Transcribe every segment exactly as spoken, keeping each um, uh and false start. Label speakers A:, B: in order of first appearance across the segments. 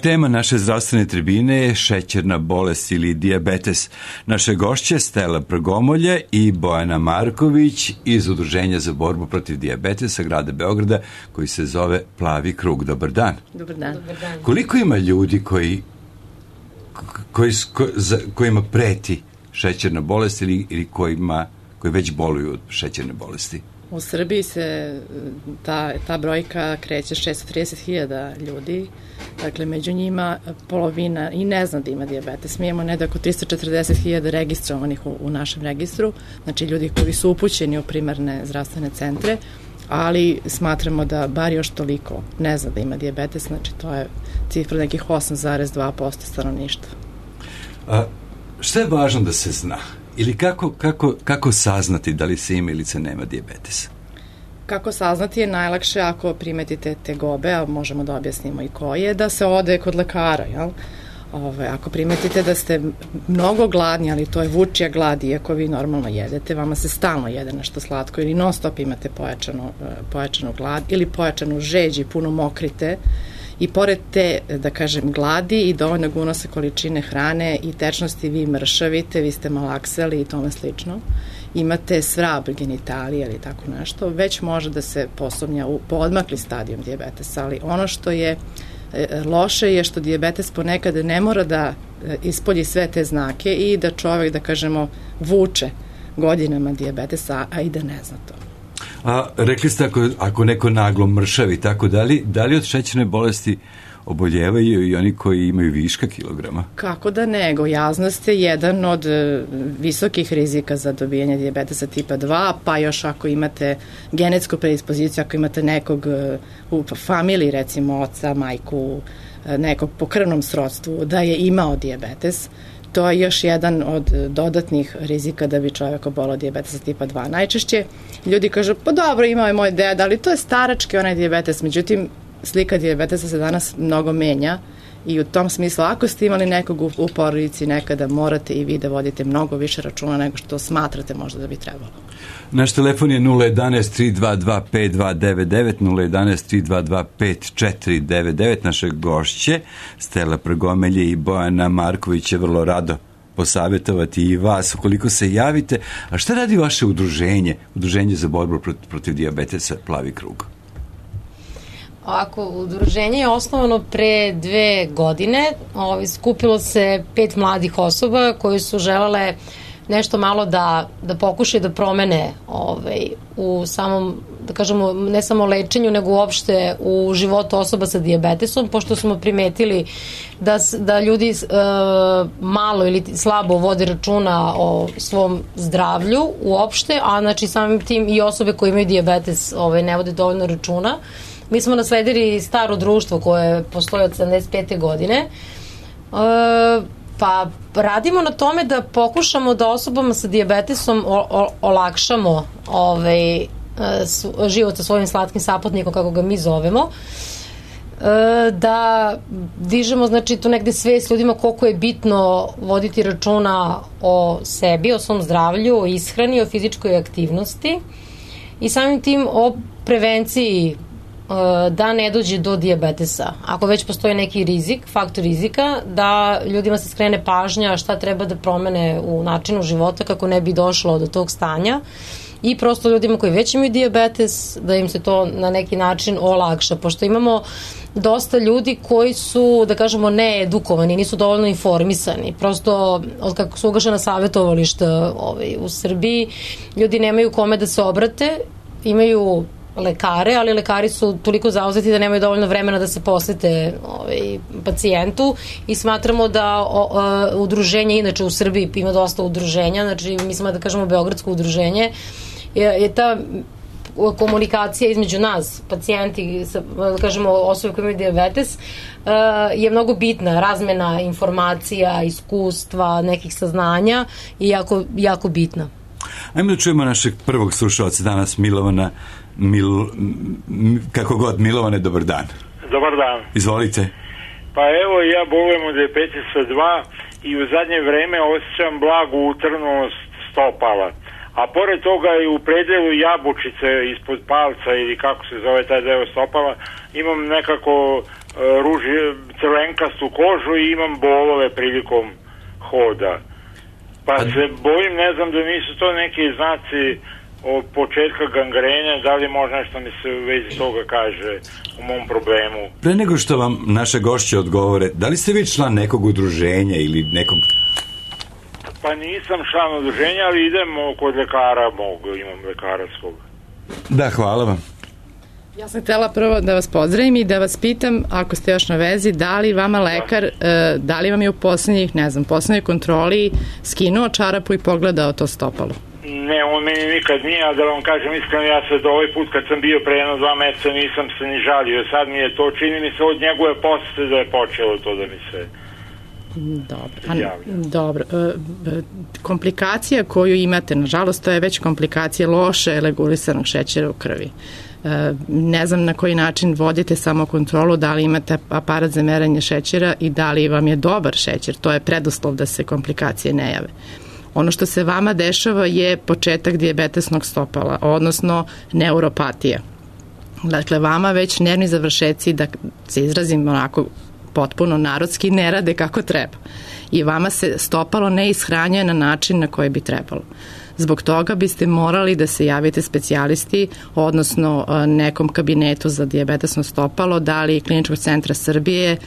A: tema naše zdravstvene tribine je šećerna bolest ili dijabetes. Naše gošće Stela Prgomolje i Bojana Marković iz Udruženja za borbu protiv dijabetesa grada Beograda koji se zove Plavi krug. Dobar dan.
B: Dobar dan. Dobar dan.
A: Koliko ima ljudi koji, koji, ko, za, kojima preti šećerna bolest ili, ili kojima, koji već boluju od šećerne bolesti?
B: U Srbiji se ta, ta brojka kreće šesto trideset hiljada ljudi, dakle među njima polovina i ne zna da ima dijabetes. Mi imamo negde oko tristo četrdeset hiljada registrovanih u, u našem registru, znači ljudi koji su upućeni u primarne zdravstvene centre, ali smatramo da bar još toliko ne zna da ima dijabetes, znači to je cifra nekih osam zarez dva posto stanovništva.
A: A šta je važno da se zna? Ili kako, kako, kako saznati da li se ima ili se nema dijabetesa?
B: Kako saznati je najlakše ako primetite tegobe, a možemo da objasnimo i koje, da se ode kod lekara, jel? Ove, ako primetite da ste mnogo gladni, ali to je vučija glad, iako vi normalno jedete, vama se stalno jede nešto slatko ili non stop imate pojačanu, pojačanu glad ili pojačanu žeđ i puno mokrite, i pored te, da kažem, gladi i dovoljnog unosa količine hrane i tečnosti vi mršavite, vi ste malaksali i tome slično, imate svrab genitalije ili tako nešto, već može da se posumnja u poodmakli stadijum dijabetesa, ali ono što je loše je što dijabetes ponekad ne mora da ispolji sve te znake i da čovek, da kažemo, vuče godinama dijabetesa, a i da ne zna to.
A: A rekli ste ako, ako neko naglo mršavi, tako da li, da li od šećerne bolesti oboljevaju i oni koji imaju viška kilograma?
B: Kako da ne, gojaznost je jedan od visokih rizika za dobijanje dijabetesa tipa dva, pa još ako imate genetsku predispoziciju, ako imate nekog u familiji, recimo oca, majku, nekog po krvnom srodstvu, da je imao dijabetes, to je još jedan od dodatnih rizika da bi čovjek obolao dijabetesa tipa dva. Najčešće ljudi kažu, pa dobro, imao je moj deda, ali to je starački onaj dijabetes. Međutim, slika dijabetesa se danas mnogo menja i u tom smislu, ako ste imali nekog u, u porodici nekada, morate i vi da vodite mnogo više računa nego što smatrate možda da bi trebalo.
A: Naš telefon je nula jedanaest tri dva dva pet dva devet devet, nula jedanaest tri dva dva pet četiri devet devet. Naše gošće, Stela Prgomelje i Bojana Marković, će vrlo rado posavjetovati i vas ukoliko se javite. A šta radi vaše udruženje, Udruženje za borbu protiv, protiv dijabetesa Plavi krug?
C: Ovako, udruženje je osnovano pre dve godine. Ovi, skupilo se pet mladih osoba koji su želele nešto malo da, da pokušaju da promene ovaj, u samom, da kažemo, ne samo lečenju, nego uopšte u životu osoba sa dijabetesom, pošto smo primetili da, da ljudi e, malo ili slabo vode računa o svom zdravlju uopšte, a znači samim tim i osobe koje imaju dijabetes ovaj, ne vode dovoljno računa. Mi smo nasledili staro društvo koje postoji od sedamdeset pete godine, e, pa radimo na tome da pokušamo da osobama sa dijabetesom o, o, olakšamo ovaj, s, život sa svojim slatkim saputnikom, kako ga mi zovemo, e, da dižemo, znači, tu negde svest ljudima koliko je bitno voditi računa o sebi, o svom zdravlju, o ishrani, o fizičkoj aktivnosti i samim tim o prevenciji da ne dođe do dijabetesa. Ako već postoji neki rizik, faktor rizika, da ljudima se skrene pažnja šta treba da promene u načinu života kako ne bi došlo do tog stanja i prosto ljudima koji već imaju dijabetes da im se to na neki način olakša, pošto imamo dosta ljudi koji su, da kažemo, needukovani, nisu dovoljno informisani. Prosto, od kako su ugašena savjetovališta ovaj, u Srbiji, ljudi nemaju kome da se obrate, imaju lekare, ali lekari su toliko zauzeti da nemaju dovoljno vremena da se posvete ovaj, pacijentu i smatramo da o, o, udruženje, inače u Srbiji ima dosta udruženja, znači mi smo da kažemo Beogradsko udruženje, je, je ta komunikacija između nas, pacijenti, da kažemo osobe koje imaju dijabetes, je mnogo bitna, razmena informacija, iskustva, nekih saznanja i jako, jako bitna.
A: Ajmo da čujemo našeg prvog slušalca danas, Milovana. Mil, kako god, Milovane, dobar dan.
D: Dobar dan.
A: Izvolite.
D: Pa evo, ja bolujem od dijabetesa dva i u zadnje vreme osjećam blagu utrnulost stopala. A pored toga i u predelu jabučice ispod palca ili kako se zove taj deo stopala imam nekako ruži, crvenkastu kožu i imam bolove prilikom hoda. Pa se bojim, ne znam da nisu to neki znaci od početka gangrenja, da li možda nešto mi se u vezi toga kaže u mom problemu.
A: Pre nego što vam naše gošće odgovore, da li ste vi član nekog udruženja ili nekog...
D: Pa nisam član udruženja, ali idem kod lekara mog, imam lekara svog.
A: Da, hvala vam.
B: Ja sam htjela prvo da vas pozdravim i da vas pitam, ako ste još na vezi, da li vama lekar, da li vam je u poslednjih, ne znam, poslednjoj kontroli skinuo čarapu i pogledao to stopalo?
D: Ne, on meni nikad nije, a da vam kažem iskreno, ja se do ovaj put kad sam bio pre jedno dva meseca nisam se ni žalio, sad mi je to, čini mi se od njegove posete da je počelo to da mi se
B: Dobro, a, dobro. Komplikacija koju imate, nažalost, to je već komplikacija loše regulisanog šećera u krvi. Ne znam na koji način vodite samo kontrolu, da li imate aparat za merenje šećera i da li vam je dobar šećer, to je preduslov da se komplikacije ne jave. Ono što se vama dešava je početak dijabetesnog stopala, odnosno neuropatija. Dakle, vama već nervni završeci, da se izrazim onako potpuno narodski, ne rade kako treba. I vama se stopalo ne ishranjuje na način na koji bi trebalo. Zbog toga biste morali da se javite specijalisti, odnosno nekom kabinetu za dijabetesno stopalo, da li Kliničkog centra Srbije,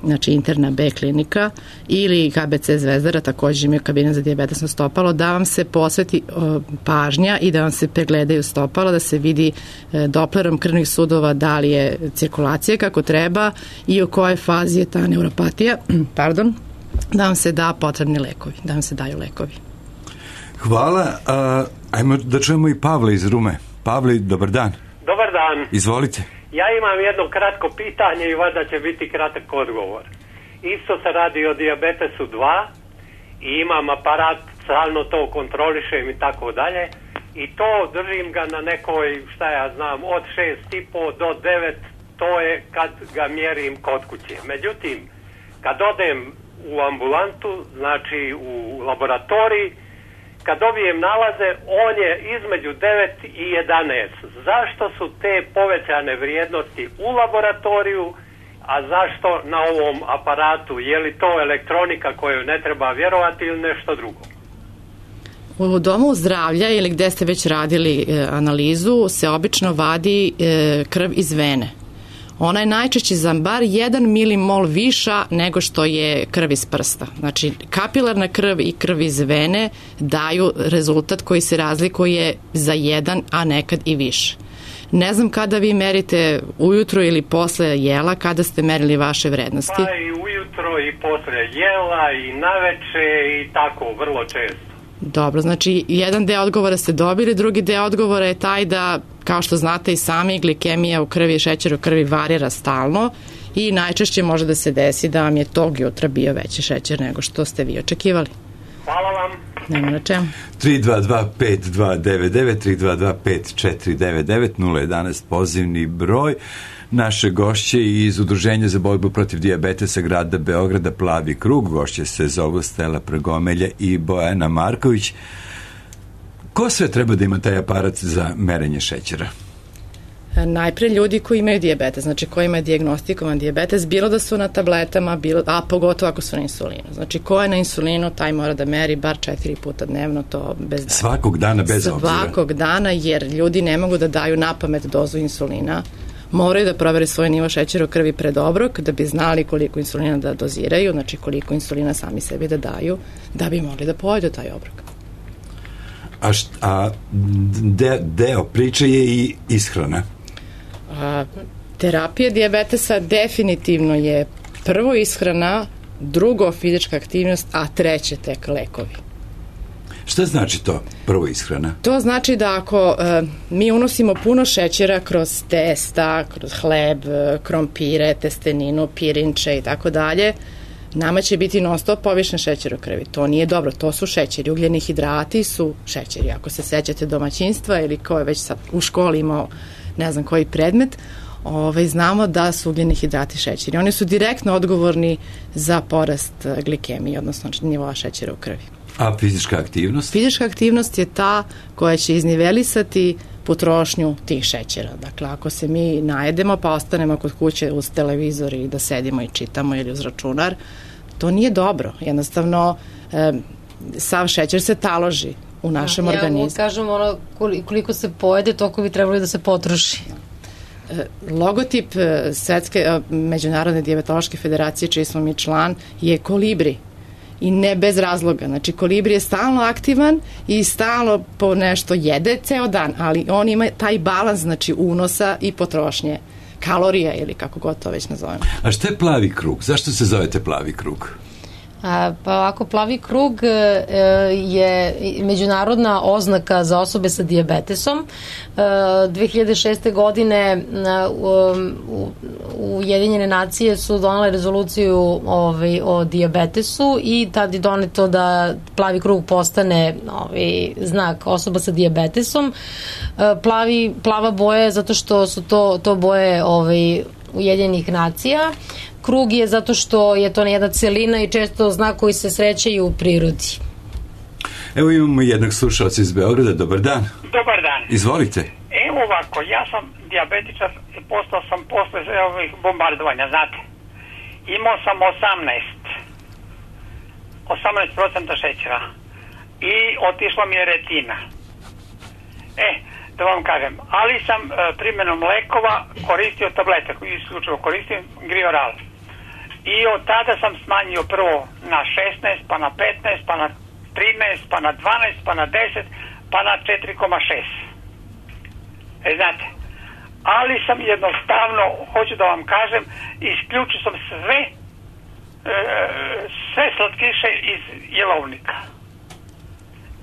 B: znači interna B klinika, ili K B C Zvezdara, također imaju kabinet za dijabetesno stopalo, da vam se posveti o, pažnja i da vam se pregledaju stopalo, da se vidi e, doplerom krvnih sudova da li je cirkulacija kako treba i u kojoj fazi je ta neuropatija, pardon, da vam se da potrebni lekovi, da vam se daju lekovi.
A: Hvala. A, ajmo da čujemo i Pavle iz Rume. Pavle, dobar dan.
E: Dobar dan.
A: Izvolite.
E: Ja imam jedno kratko pitanje i valjda će biti kratak odgovor. Isto se radi o dijabetesu dva i imam aparat, stalno to kontrolišem i tako dalje. I to držim ga na nekoj, šta ja znam, od šest i po do devet, to je kad ga mjerim kod kuće. Međutim, kad odem u ambulantu, znači u laboratoriji, kad dobijem nalaze, on je između devet i jedanaest. Zašto su te povećane vrijednosti u laboratoriju, a zašto na ovom aparatu? Je li to elektronika koju ne treba vjerovati ili nešto drugo?
B: U domu zdravlja ili gde ste već radili e, analizu se obično vadi e, krv iz vene. Ona je najčešće za bar jedan milimol viša nego što je krv iz prsta. Znači, kapilarna krv i krv iz vene daju rezultat koji se razlikuje za jedan, a nekad i više. Ne znam kada vi merite ujutro ili posle jela, kada ste merili vaše vrednosti?
E: Pa i ujutro i posle jela i naveče i tako, vrlo često.
B: Dobro, znači jedan deo odgovora ste dobili, drugi deo odgovora je taj da, kao što znate i sami, glikemija u krvi i šećer u krvi varira stalno i najčešće može da se desi da vam je tog jutra bio veći šećer nego što ste vi očekivali.
E: Hvala vam.
B: Nema na čemu.
A: tri dva dva pet dva devet devet, tri dva dva pet četiri devet devet, nula jedanaest pozivni broj. Naše gošće iz Udruženja za borbu protiv dijabetesa grada Beograda Plavi krug, gošće se zovu Stela Pregomelja i Bojana Marković. Ko sve treba da ima taj aparat za merenje šećera?
B: Najpre ljudi koji imaju dijabetes, znači koji imaju dijagnostikovan dijabetes, bilo da su na tabletama, bilo, a pogotovo ako su na insulinu. Znači ko je na insulinu, taj mora da meri bar četiri puta dnevno, to bez dana.
A: Svakog dana bez obzira?
B: Svakog dana, jer ljudi ne mogu da daju napamet dozu insulina. Moraju da provere svoj nivo šećera u krvi pred obrok, da bi znali koliko insulina da doziraju, znači koliko insulina sami sebi da daju, da bi mogli da pojedu taj obrok.
A: A, št, a de, deo priče je i ishrana?
B: A, terapija dijabetesa definitivno je prvo ishrana, drugo fizička aktivnost, a treće tek lekovi.
A: Šta znači to, prvo ishrana?
B: To znači da ako e, mi unosimo puno šećera kroz testa, kroz hleb, krompire, testeninu, pirinče i tako dalje, nama će biti non stop povišen šećer u krvi. To nije dobro, to su šećeri. Ugljeni hidrati su šećeri. Ako se sećate domaćinstva ili ko je već sad u školi imao ne znam koji predmet, ovaj, znamo da su ugljeni hidrati šećeri. Oni su direktno odgovorni za porast glikemije, odnosno nivoa šećera u krvi.
A: A fizička aktivnost?
B: Fizička aktivnost je ta koja će iznivelisati potrošnju tih šećera. Dakle, ako se mi najedemo pa ostanemo kod kuće uz televizor i da sedimo i čitamo ili uz računar, to nije dobro. Jednostavno, e, sav šećer se taloži u našem ja, organizmu. Ja
C: kažem, ono, koliko se pojede, toliko bi trebalo da se potroši.
B: Logotip Svetske međunarodne dijabetološke federacije, čiji smo mi član, je kolibri. I ne bez razloga. Znači, kolibri je stalno aktivan i stalno po nešto jede ceo dan, ali on ima taj balans, znači, unosa i potrošnje kalorija ili kako god to već nazovemo.
A: A šta je plavi krug? Zašto se zovete plavi krug?
C: A, pa ovako, plavi krug e, je međunarodna oznaka za osobe sa dijabetesom. E, dve hiljade šeste. godine u, Ujedinjene nacije su donale rezoluciju ovaj, o dijabetesu i tad je doneto da plavi krug postane ovaj, znak osoba sa dijabetesom. E, plavi, plava boja je zato što su to, to boje ovaj, Ujedinjenih nacija. Krug je zato što je to jedna celina i često znak koji se sreće i u prirodi.
A: Evo imamo jednog slušalca iz Beograda. Dobar dan.
F: Dobar dan.
A: Izvolite.
F: Evo ovako, ja sam dijabetičar i postao sam posle ovih bombardovanja, znate. Imao sam osamnaest osamnaest procenta šećera i otišla mi je retina. E, da vam kažem, ali sam e, primjenom lekova koristio tablete, isključivo koristim Grioral. I od tada sam smanjio prvo na šesnaest, pa na petnaest, pa na trinaest, pa na dvanaest, pa na deset, pa na četiri zarez šest. E, znate, ali sam jednostavno, hoću da vam kažem, isključio sam sve, e, sve slatkiše iz jelovnika.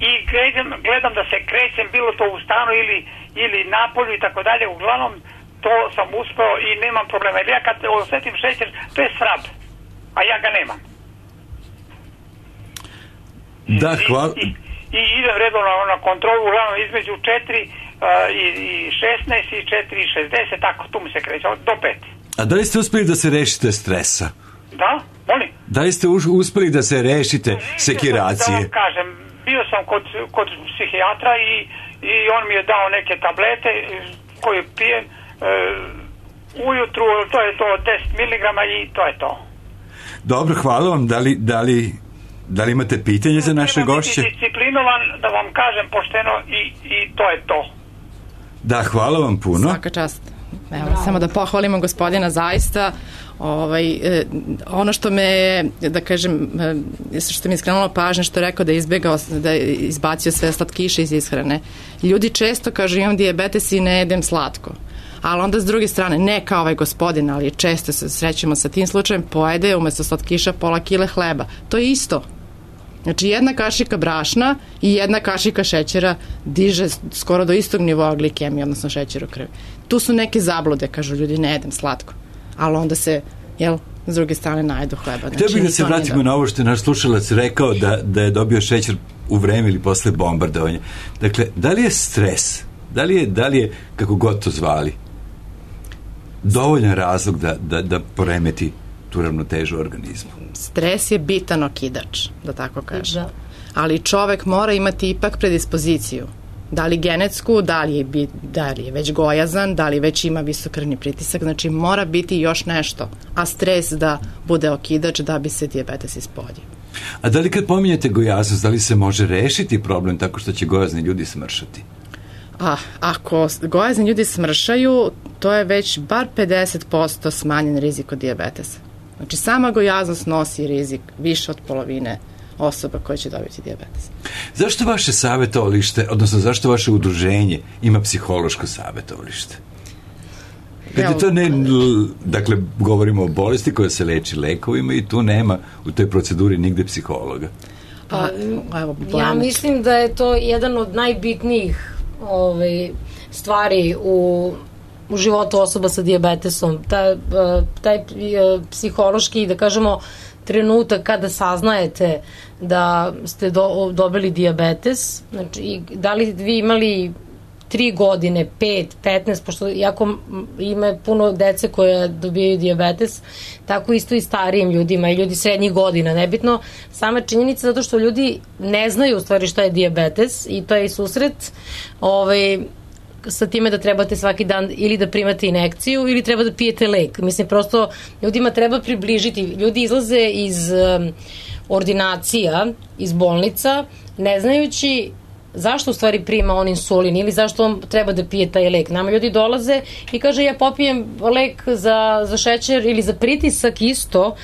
F: I gledam, gledam da se krećem, bilo to u stanu ili, ili napolju i tako dalje, uglavnom to sam uspeo i nemam problema. Jer ja kad osjetim šećer, to je svrab, a ja ga nemam.
A: Da, hvala.
F: I, i, i idem redovno na kontrolu, uglavnom između četiri uh, i, i šesnaest i četiri i šezdeset, tako tu mi se kreće, do pet.
A: A da li ste uspeli da se rešite stresa?
F: Da, molim.
A: Da li ste uspeli da se rešite sekiracije?
F: Da vam kažem, bio sam kod, kod psihijatra i, i on mi je dao neke tablete koje pijem e, ujutru, to je to deset miligrama i to je to.
A: Dobro, hvala vam. Da li, da li, da li imate pitanje za naše gošće?
F: Treba biti disciplinovan, da vam kažem pošteno i, i to je to.
A: Da, hvala vam puno.
B: Svaka čast. Evo, samo da pohvalimo gospodina zaista. Ovaj, eh, ono što me, da kažem, eh, što mi je skrenulo pažnje, što je rekao da je izbjegao, da je izbacio sve slatkiše iz ishrane. Ljudi često kažu imam dijabetes i ne jedem slatko. Ali onda s druge strane, ne kao ovaj gospodin, ali često se srećemo sa tim slučajem, pojede umjesto slatkiša pola kile hleba. To je isto. Znači jedna kašika brašna i jedna kašika šećera diže skoro do istog nivoa glikemije, odnosno šećer u krvi. Tu su neke zablude, kažu ljudi, ne jedem slatko. Ali onda se, jel, s druge strane najedu hleba. Znači,
A: htio bih da se vratimo na ovo što je naš slušalac rekao da, da je dobio šećer u vreme ili posle bombardovanja. Dakle, da li je stres, da li je, da li je kako god to zvali, dovoljan razlog da, da, da poremeti tu ravnotežu organizmu?
B: Stres je bitan okidač, da tako kažem. Da. Ali čovek mora imati ipak predispoziciju. Da li genetsku, da li, je, da li je već gojazan, da li već ima visok krvni pritisak, znači mora biti još nešto, a stres da bude okidač da bi se dijabetes ispoljio.
A: A da li kad pominjete gojaznost, da li se može rešiti problem tako što će gojazni ljudi smršati?
B: A, ako gojazni ljudi smršaju, to je već bar pedeset posto smanjen rizik od dijabetesa. Znači sama gojaznost nosi rizik više od polovine osoba koje će dobiti dijabetes.
A: Zašto vaše savjetovalište, odnosno zašto vaše udruženje ima psihološko savjetovalište? Kad je to ne, dakle, govorimo o bolesti koja se leči lekovima i tu nema u toj proceduri nigde psihologa.
C: Pa, evo, ja mislim da je to jedan od najbitnijih ovaj, stvari u u životu osoba sa dijabetesom. Taj, taj psihološki, da kažemo, trenutak kada saznajete da ste do, dobili dijabetes, znači, da li vi imali tri godine, pet, petnaest, pošto jako ima puno dece koje dobijaju dijabetes, tako isto i starijim ljudima i ljudi srednjih godina, nebitno. Sama činjenica zato što ljudi ne znaju u stvari šta je dijabetes i to je i susret ovaj, sa time da trebate svaki dan ili da primate injekciju ili treba da pijete lek. Mislim, prosto ljudima treba približiti. Ljudi izlaze iz um, ordinacija, iz bolnica, ne znajući zašto u stvari prima on insulin ili zašto on treba da pije taj lek. Nama ljudi dolaze i kaže ja popijem lek za, za šećer ili za pritisak isto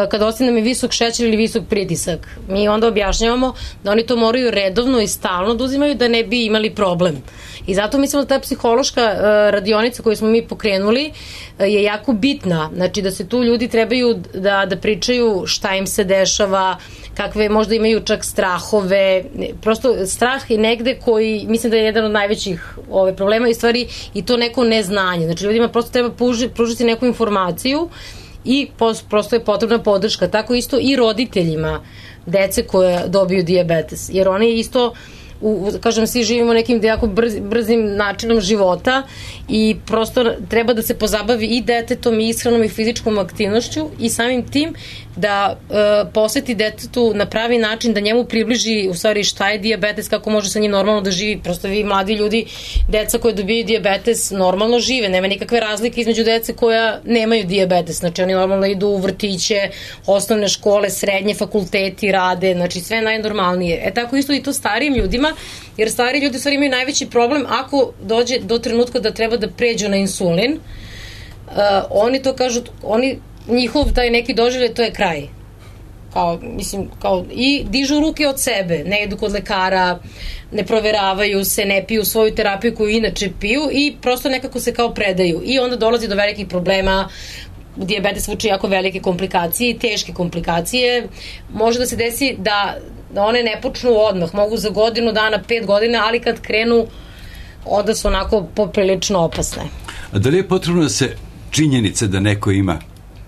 C: kada ostane mi visok šećer ili visok pritisak. Mi onda objašnjavamo da oni to moraju redovno i stalno da uzimaju da ne bi imali problem. I zato mislimo da ta psihološka uh, radionica koju smo mi pokrenuli uh, je jako bitna. Znači da se tu ljudi trebaju da, da pričaju šta im se dešava, kakve možda imaju čak strahove. Prosto strah je negde koji mislim da je jedan od najvećih ove, problema i stvari i to neko neznanje. Znači ljudima prosto treba pruži, pružiti neku informaciju i pos, prosto je potrebna podrška. Tako isto i roditeljima dece koje dobiju dijabetes. Jer oni isto U, kažem, svi živimo nekim jako brz, brzim načinom života i prosto treba da se pozabavi i detetom i ishranom i fizičkom aktivnošću i samim tim da e, posveti detetu na pravi način, da njemu približi u stvari šta je dijabetes, kako može sa njim normalno da živi. Prosto vi mladi ljudi, deca koje dobiju dijabetes normalno žive, nema nikakve razlike između dece koja nemaju dijabetes, znači oni normalno idu u vrtiće, osnovne škole, srednje, fakulteti rade, znači sve najnormalnije. E tako isto i to starijim ljudima, jer stari ljudi u stvari imaju najveći problem ako dođe do trenutka da treba da pređu na insulin. Uh, oni to kažu, oni, njihov taj neki doživljaj, to je kraj. Kao, mislim, kao, i dižu ruke od sebe, ne idu kod lekara, ne proveravaju se, ne piju svoju terapiju koju inače piju i prosto nekako se kao predaju. I onda dolazi do velikih problema, dijabetes vuče jako velike komplikacije i teške komplikacije. Može da se desi da da one ne počnu odmah, mogu za godinu dana, pet godina, ali kad krenu, onda su onako poprilično opasne.
A: A da li je potrebno da se činjenice da neko ima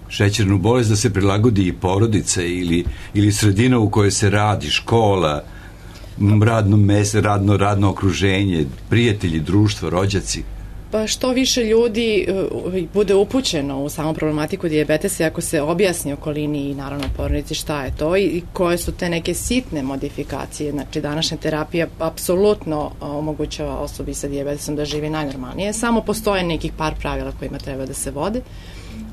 A: šećernu bolest, da se prilagodi i porodice ili, ili sredina u kojoj se radi, škola, radno mesto, radno, radno okruženje, prijatelji, društvo, rođaci?
B: Pa što više ljudi uh, bude upućeno u samu problematiku dijabetesa, ako se objasni okolini i naravno porodici šta je to i, i koje su te neke sitne modifikacije. Znači današnja terapija apsolutno omogućava osobi sa dijabetesom da živi najnormalnije. Samo postoje nekih par pravila kojima treba da se vode.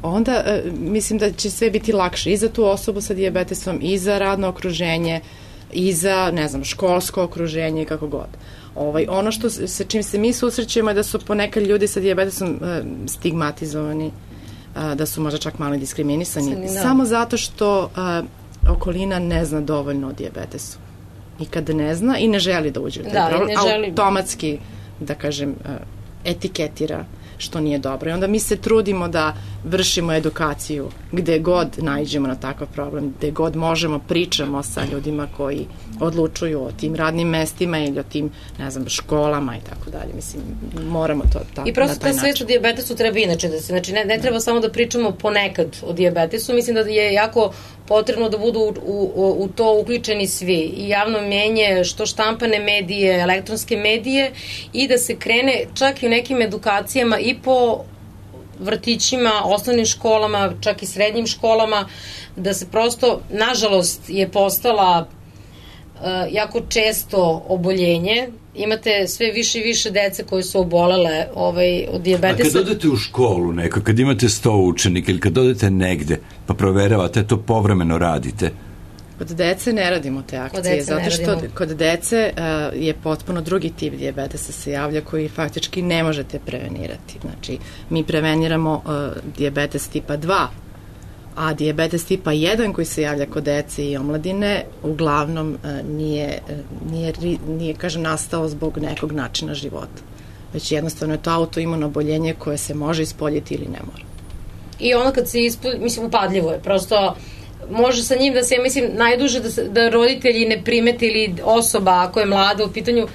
B: Onda uh, mislim da će sve biti lakše i za tu osobu sa dijabetesom i za radno okruženje i za, ne znam, školsko okruženje i kako god. Ovaj, ono što sa čim se mi susrećemo je da su ponekad ljudi sa dijabetesom uh, stigmatizovani, uh, da su možda čak malo diskriminisani, Sani, samo zato što uh, okolina ne zna dovoljno o dijabetesu. I kada ne zna i ne želi da uđe u taj da, problem, automatski, da kažem, uh, etiketira što nije dobro. I onda mi se trudimo da vršimo edukaciju gde god naiđemo na takav problem, gde god možemo, pričamo sa ljudima koji odlučuju o tim radnim mestima ili o tim, ne znam, školama i tako dalje. Mislim, moramo to ta,
C: I prosto ta svest o dijabetesu treba inače da se, znači ne, ne treba samo da pričamo ponekad o dijabetesu, mislim da je jako potrebno da budu u, u, u to uključeni svi, i javno mnjenje, što štampane medije, elektronske medije, i da se krene čak i u nekim edukacijama i po vrtićima, osnovnim školama, čak i srednjim školama, da se prosto, nažalost, je postala uh, jako često oboljenje. Imate sve više i više dece koje su obolele ovaj, od dijabetesa.
A: A kad odete u školu neko, kad imate sto učenika ili kad odete negde, pa proveravate, to povremeno radite?
B: Kod dece ne radimo te akcije, zato što kod dece uh, je potpuno drugi tip dijabetesa se javlja koji faktički ne možete prevenirati. Znači, mi preveniramo uh, dijabetes tipa dva, a dijabetes tipa jedan koji se javlja kod dece i omladine uglavnom uh, nije, uh, nije, nije, kažem, nastao zbog nekog načina života. Već jednostavno je to autoimuno oboljenje koje se može ispoljiti ili ne mora.
C: I ono kad se ispolji, mislim, upadljivo je, prosto može sa njim da se, mislim, najduže da, se, da roditelji ne primeti ili osoba, ako je mlada u pitanju,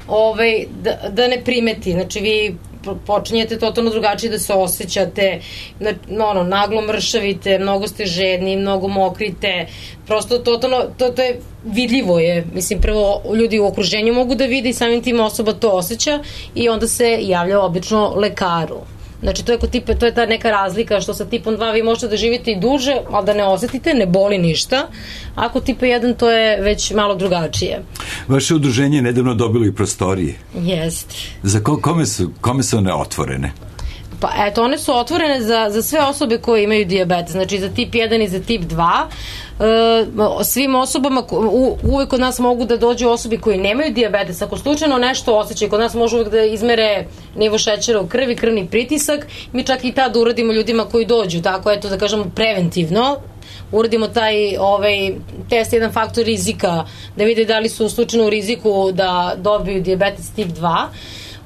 C: ovaj, da, da ne primeti. Znači, vi počinjete totalno drugačije da se osjećate, ono, naglo mršavite, mnogo ste žedni, mnogo mokrite, prosto totalno, to, to je vidljivo je, mislim, prvo ljudi u okruženju mogu da vide i samim tim osoba to osjeća i onda se javlja obično lekaru. Znači to je, kod tipa, to je ta neka razlika što sa tipom dva vi možete da živite i duže, ali da ne osetite, ne boli ništa. Ako tipa jedan to je već malo drugačije.
A: Vaše udruženje je nedavno dobilo i prostorije.
C: Jeste.
A: Za ko, kome, su, kome su one otvorene?
C: Pa eto, one su otvorene za, za sve osobe koje imaju dijabetes, znači za tip jedan i za tip dva. E, svim osobama, u, uvek kod nas mogu da dođu osobi koji nemaju dijabetes. Ako slučajno nešto osjećaju, kod nas može uvek da izmere nivo šećera u krvi, krvni pritisak. Mi čak i tad uradimo ljudima koji dođu, tako eto da kažemo preventivno. Uradimo taj ovaj, test, jedan faktor rizika, da vide da li su slučajno u riziku da dobiju dijabetes tip dva.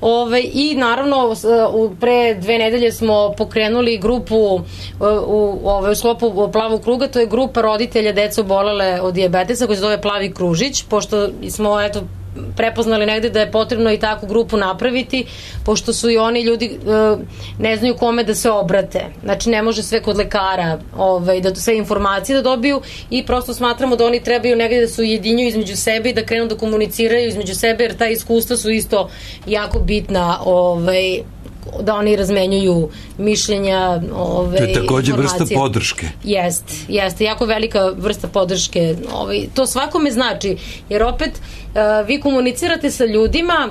C: Ove, i naravno pre dve nedelje smo pokrenuli grupu u, u, ove, u sklopu Plavog kruga, to je grupa roditelja deca obolele od dijabetesa koja se zove Plavi kružić, pošto smo eto prepoznali negde da je potrebno i takvu grupu napraviti, pošto su i oni ljudi e, ne znaju kome da se obrate. Znači ne može sve kod lekara ovaj, da sve informacije da dobiju i prosto smatramo da oni trebaju negde da se ujedinjuju između sebe i da krenu da komuniciraju između sebe, jer ta iskustva su isto jako bitna, ovaj, da oni razmenjuju mišljenja, ove,
A: to je takođe
C: informacije.
A: Vrsta podrške.
C: Jeste, jeste, jako velika vrsta podrške. Ovaj, to svakome znači, jer opet uh, vi komunicirate sa ljudima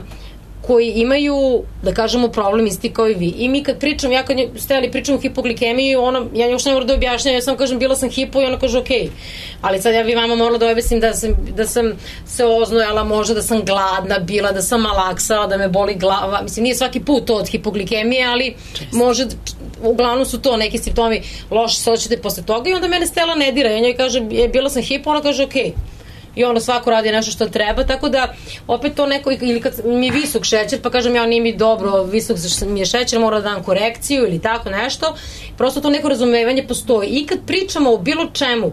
C: koji imaju, da kažemo, problem isti kao i vi. I mi kad pričam, ja kad stajali pričam o hipoglikemiji, ono, ja još ne moram da objašnjam, ja sam kažem bila sam hipo i ona kaže okej. Okay. Ali sad ja bi vama morala da objasnim da sam, da sam se oznojala, možda da sam gladna bila, da sam malaksala, da me boli glava. Mislim, nije svaki put to od hipoglikemije, ali često. Može, uglavnom su to neki simptomi, loše se osjećate posle toga i onda mene Stela ne dira. Ja njoj kaže, je, bila sam hipo, ona kaže okej. Okay. I ono svako radi nešto što treba, tako da opet to neko, ili kad mi je visok šećer pa kažem ja nije mi dobro, visok mi je šećer, mora da dam korekciju ili tako nešto, prosto to neko razumevanje postoji. I kad pričamo o bilo čemu,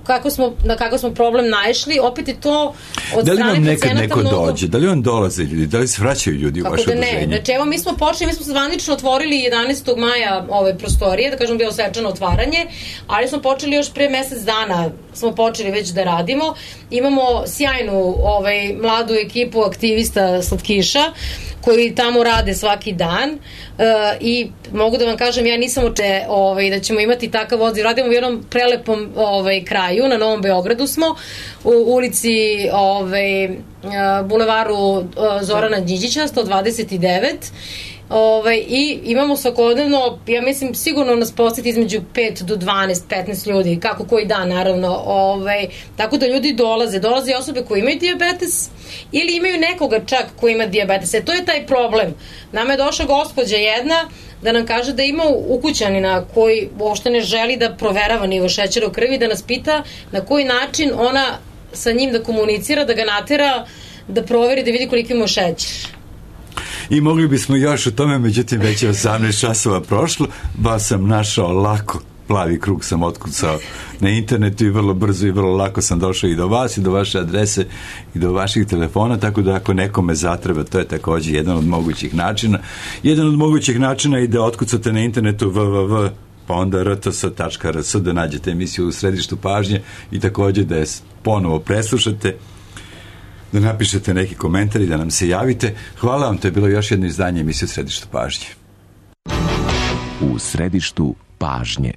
C: kako smo, na kakav smo problem naišli, opet je to od
A: da li
C: strane
A: vam nekad neko
C: mnogo...
A: dođe, da li vam dolaze ljudi, da li se vraćaju ljudi
C: kako
A: u vaše
C: da
A: udruženje?
C: Ne, znači evo mi smo počeli, mi smo zvanično otvorili jedanaestog maja ove prostorije, da kažem bilo svečano otvaranje, ali smo počeli još pre mesec dana, smo počeli već da radimo, imamo sjajnu ovaj, mladu ekipu aktivista slatkiša, koji tamo rade svaki dan uh, i mogu da vam kažem, ja nisam oče ovaj, da ćemo imati takav odziv. Radimo u jednom prelepom ovaj, kraju, na Novom Beogradu smo, u ulici ovaj, uh, bulevaru uh, Zorana Đinđića, sto dvadeset devet. Ovaj, i imamo svakodnevno, ja mislim sigurno nas poseti između pet do dvanaest petnaest ljudi, kako koji dan naravno, ovaj, tako da ljudi dolaze dolaze osobe koje imaju dijabetes ili imaju nekoga čak koji ima dijabetes. E, to je taj problem. Nama je došla gospođa jedna da nam kaže da ima ukućanina koji uopšte ne želi da proverava nivo šećera u krvi, da nas pita na koji način ona sa njim da komunicira, da ga natera da proveri, da vidi koliko ima šećer.
A: I mogli bismo još o tome, međutim već je osamnaest časova prošlo, ba sam našao lako, Plavi krug sam otkucao na internetu i vrlo brzo i vrlo lako sam došao i do vas i do vaše adrese i do vaših telefona, tako da ako nekome zatreba, to je takođe jedan od mogućih načina. Jedan od mogućih načina je da otkucate na internetu www pa onda r t s tačka r s da nađete emisiju u središtu pažnje i takođe da je ponovo preslušate, da napišete neki komentar i da nam se javite. Hvala vam, to je bilo još jedno izdanje emisije u središtu pažnje.
G: U središtu pažnje.